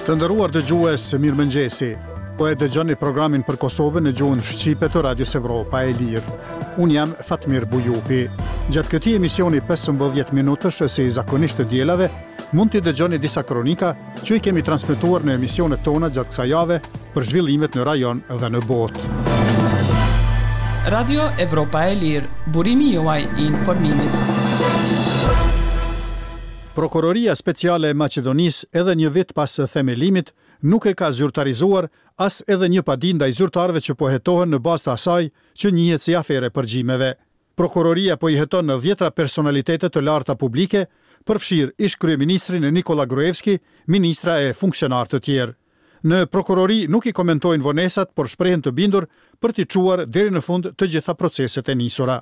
Të nderuar dëgjues, mirëmëngjesi. Po e dëgjoni programin për Kosovën në gjuhën shqipe të Radios Evropa e Lirë. Unë jam Fatmir Bujupi. Gjatë këtij emisioni 15 minutësh, si zakonisht të dielave, mund t'i dëgjoni disa kronika që i kemi transmetuar në emisionet tona gjatë kësaj jave për zhvillimet në rajon dhe në botë. Radio Evropa e Lirë, burimi juaj i informimit. Prokuroria Speciale e Maqedonisë edhe një vit pas themelimit nuk e ka zyrtarizuar as edhe një padi ndaj zyrtarëve që po hetohen në bazë të asaj që njihet si aferë e përgjimeve. Prokuroria po i heton dhjetëra personalitete të larta publike, përfshirë ish-kryeministrin Nikolla Gruevski, ministra e funksionarë të tjerë. Në prokurori nuk i komentojnë vonesat, por shprehen të bindur për t'i çuar deri në fund të gjitha proceset e nisura.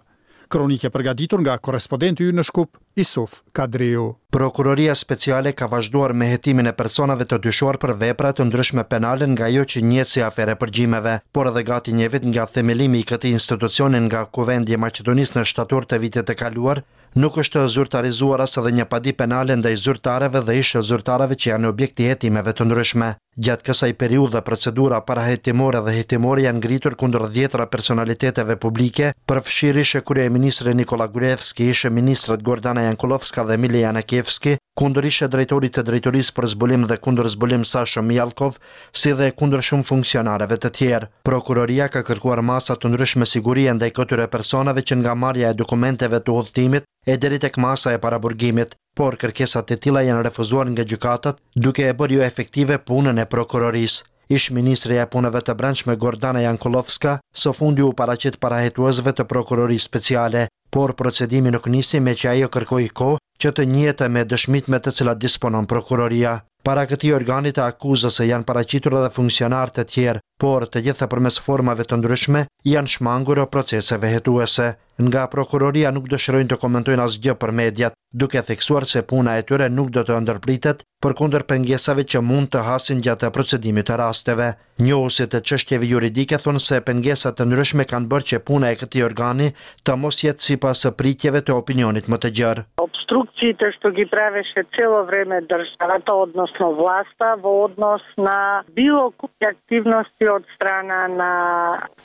Kronikë e përgatitur nga korrespodenti ynë në Shkup, Isuf Kadriu. Prokuroria Speciale ka vazhduar me hetimin e personave të dyshuar për vepra të ndryshme penale nga ajo që njihet si aferë e përgjimeve. Por edhe gati një vit nga themelimi i këtij institucioni nga Kuvendi i Maqedonisë në shtator të vitit të kaluar, nuk është zyrtarizuar as edhe një padi penale ndaj zyrtarëve dhe ish-zyrtarëve që janë objekt i hetimeve të ndryshme. Gjatë kësaj periudhe procedura parahetimore dhe hetimore janë ngritur kundër dhjetëra personaliteteve publike, përfshirë ish-kryeministrin Nikolla Gruevski, ish-ministrat Gordana Jankullovska dhe Mile Janakievski, kundër ish-drejtorit të Drejtorisë për Zbulim dhe Kundërzbulim Sasho Mijallkov, si dhe kundër shumë funksionarëve të tjerë. Prokuroria ka kërkuar masa të ndryshme sigurie ndaj këtyre personave që nga marrja e dokumenteve të udhëtimit e deri tek masa e paraburgimit. Por kërkesat e tilla janë refuzuar nga gjykatat, duke e bërë joefektive punën e prokurorisë. Ish-ministrja e Punëve të Brendshme Gordana Jankullovska së fundi u paraqit para hetuesve të Prokurorisë Speciale, por procedimi nuk nisi meqë ajo kërkoi kohë që të njihet me dëshmitë me të cilat disponon prokuroria. Para këtij organi të akuzës janë paraqitur edhe funksionarë të tjerë, por të gjitha përmes formave të ndryshme i janë shmangur proceseve hetuese. Nga prokuroria nuk dëshirojnë të komentojnë asgjë për mediat, duke theksuar se puna e tyre nuk do të ndërpritet përkundër pengesave që mund të hasin gjatë procedimit të rasteve. Njohësit e çështjeve juridike thonë se pengesa të ndryshme kanë bërë që puna e këtij organi të mos jetë sipas pritjeve të opinionit më të gjerë. Опструкциите што ги правеше цело време државата, односно власта, во однос на било кои активности од страна на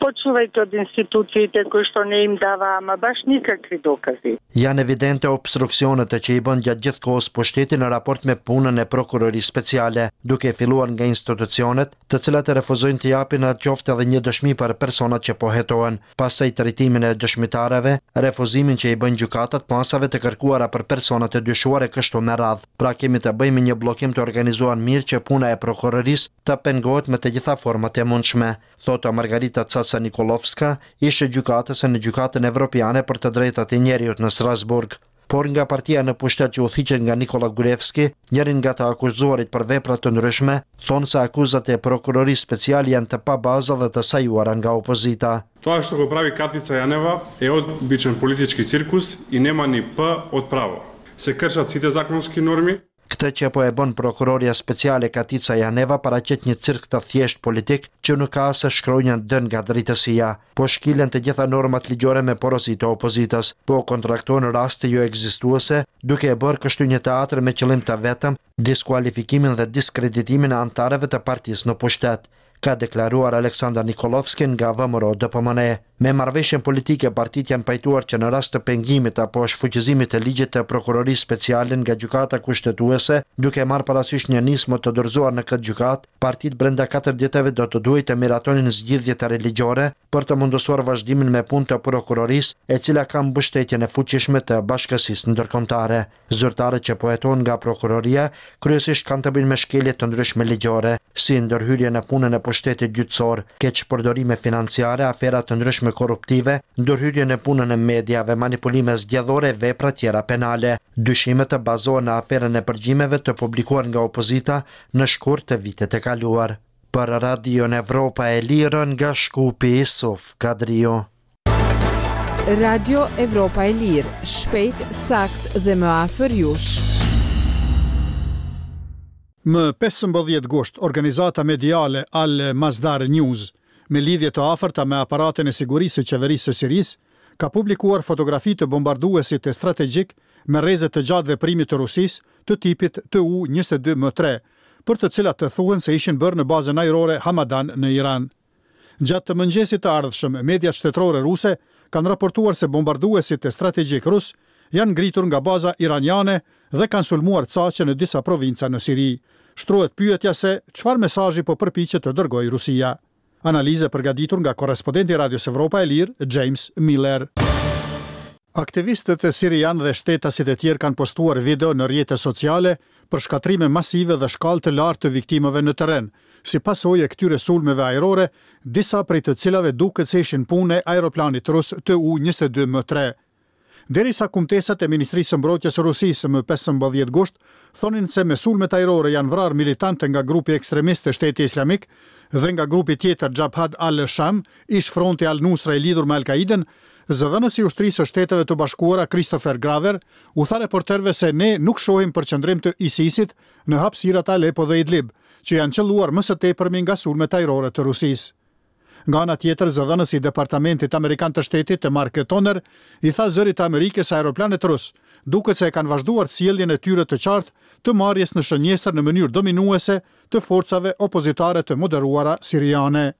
почнувајќи од институциите кои што не им дава ама баш никакви докази. Janë evidente obstruksionet që i bën gjatë gjithë kohës pushteti në raport me punën e Prokurorisë Speciale, duke filluar nga institucionet, të cilat refuzojnë të japin qoftë edhe një dëshmi për personat që po hetohen, pastaj trajtimin e dëshmitarëve, refuzimin që i bëjnë gjykatat masave të kërkuara për personat e dyshuar e kështu me radhë. Pra kemi të bëjmë me një bllokim të organizuar mirë që puna e prokurorisë të pengohet me të gjitha format e mundshme, thotë Margarita Caca Nikollovska, ish-gjykatëse në Gjykatën Evropiane për të Drejtat e Njeriut në Strasburg. Por nga partia në pushtet që udhëhiqet nga Nikolla Gruevski, njëri nga të akuzuarit për vepra të ndryshme, thonë se akuzat e Prokurorisë Speciale janë të pabaza dhe të sajuara nga opozita. Тоа што го прави Катица Јанева е обичен политички циркус и нема ни П од право. Се кршат сите законски норми. Këtë që po e bën prokurorja speciale Katica Janeva paraqet një cirk të thjeshtë politik që nuk ka as shkronjën D nga drejtësia. Po shkilen të gjitha normat ligjore me porosi të opozitës, po kontraktohen raste joekzistuese, duke e bërë kështu një teatër me qëllim të vetëm diskualifikimin dhe diskreditimin e anëtarëve të partisë në pushtet, ka deklaruar Aleksandar Nikollovski nga VMRO-DPMNE. Me marrëveshjen politike partitë janë pajtuar që në rast të pengimit apo shfuqizimit të ligjit të Prokurorisë Speciale nga Gjykata Kushtetuese, duke marrë parasysh një nismë të dorëzuar në këtë gjykatë, partitë brenda katër ditëve do të duhej të miratonin zgjidhje të re ligjore për të mundësuar vazhdimin me punë të prokurorisë, e cila ka mbështetjen e fuqishme të bashkësisë ndërkombëtare. Zyrtarët që po hetohen nga prokuroria, kryesisht kanë të bëjnë me shkelje të ndryshme ligjore, si ndërhyrje në punën e pushtetit gjyqësor, keqpërdorime financiare, afera të ndryshme korruptive, ndërhyrje në punën e mediave, manipulime zgjedhore e vepra tjera penale. Dyshimet bazohen në aferën e përgjimeve të publikuar nga opozita në shkurt të vitit të kaluar. Për Radion Evropa e Lirë nga Shkupi, Isuf Kadriu. Radio Evropa e Lirë, shpejt, saktë dhe më afër jush. Më 15 gusht, organizata mediale Al Masdar News, me lidhje të afërta me aparatin e sigurisë së qeverisë së Sirisë, ka publikuar fotografi të bombarduesit strategjik me rreze të gjatë veprimi të Rusisë të tipit Tu 22 M3. për të cilat të thuhen se ishin bërë në bazën ajrore Hamadan në Iran. Gjatë të mëngjesit të ardhshëm, mediat shtetërore ruse kanë raportuar se bombarduesit strategjikë rusë janë ngritur nga baza iraniane dhe kanë sulmuar caqe në disa provinca në Siri. Shtrohet pyetja se çfarë mesazhi po përpiqet të dërgojë Rusia. Analizë e përgatitur nga korrespondenti i Radios Evropa e Lirë, James Miller. Aktivistët sirianë dhe shtetasit e tjerë kanë postuar video në rrjete sociale për shkatërrime masive dhe shkallë të lartë të viktimave në terren, si pasojë e këtyre sulmeve ajrore, disa prej të cilave duket se ishin punë e aeroplanit rus Tu-22 M3. Derisa kumtesat e Ministrisë së Mbrojtjes së Rusisë më 15 gusht thonin se me sulmet ajrore janë vrarë militantë nga grupi ekstremist Shteti Islamik dhe nga grupi tjetër Jabhat al-Sham, ish-fronti al-Nusra i lidhur me Al-Kaidën, zëdhënësi i Ushtrisë së Shteteve të Bashkuara Christopher Graver u tha reporterëve se ne nuk shohim përqendrim të ISIS-it në hapësirat Aleppo dhe Idlib, që janë qëlluar më së tepërmi nga sulmet ajrore të Rusisë. Nga ana tjetër, zëdhënësi i Departamentit Amerikan të Shtetit, Mark Toner, i tha Zërit të Amerikës se aeroplanët rusë duket se e kanë vazhduar sjelljen e tyre të qartë të marrjes në shënjestër në mënyrë dominuese të forcave opozitare të moderuara siriane.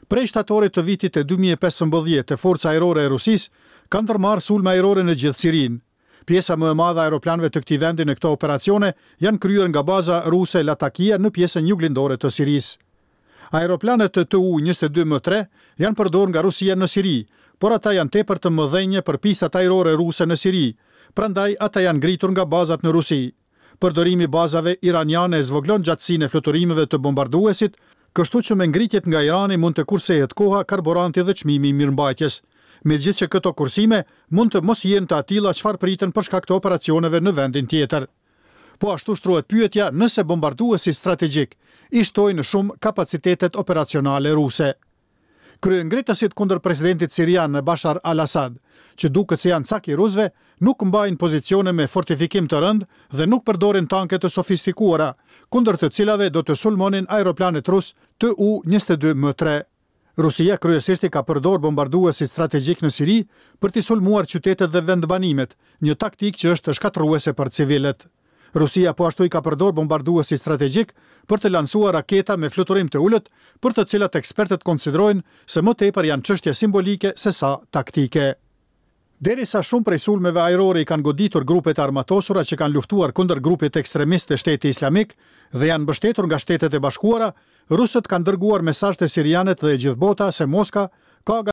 Prej shtatorit të vitit 2015, Forca Ajrore e Rusisë ka ndërmarrë sulme ajrore në gjithë Sirinë. Pjesa më e madhe e aeroplanëve të këtij vendi në këto operacione janë kryer nga baza ruse Latakia në pjesën juglindore të Sirisë. Aeroplanët Tu-22 M3 janë përdorur nga Rusia në Siri, por ata janë tepër të mëdhenj për pistat ajrore ruse në Siri, prandaj ata janë ngritur nga bazat në Rusi. Përdorimi i bazave iraniane e zvogëlon gjatësinë e fluturimeve të bombarduesit, kështu që me ngritjet nga Irani mund të kursehet koha, karburanti dhe çmimi i mirëmbajtjes. Megjithëqë këto kursime mund të mos jenë të atilla çfarë priten për shkak të operacioneve në vendin tjetër. Po ashtu shtrohet pyetja nëse bombarduesit strategjikë i shtojnë shumë kapacitetet operacionale ruse. Kryengritësit kundër presidentit sirian Bashar al-Assad, që duket se janë cak i rusëve, nuk mbajnë pozicione me fortifikim të rëndë dhe nuk përdorin tanke të sofistikuara, kundër të cilave do të sulmonin aeroplanët rusë Tu-22 M3. Rusia kryesisht i ka përdorë bombarduesit strategjikë në Siri për t'i sulmuar qytetet dhe vendbanimet, një taktikë që është shkatërruese për civilët. Rusia po ashtu i ka përdorë bombarduesit strategjikë për të lansuar raketa me fluturim të ulët, për të cilat ekspertët konsiderojnë se më tepër janë çështje simbolike sesa taktike. Derisa shumë prej sulmeve ajrore i kanë goditur grupet e armatosura që kanë luftuar kundër grupit ekstremist të Shteti Islamik dhe janë mbështetur nga Shtetet e Bashkuara, rusët kanë dërguar mesazh te sirianët dhe e gjithë bota se Moska ka.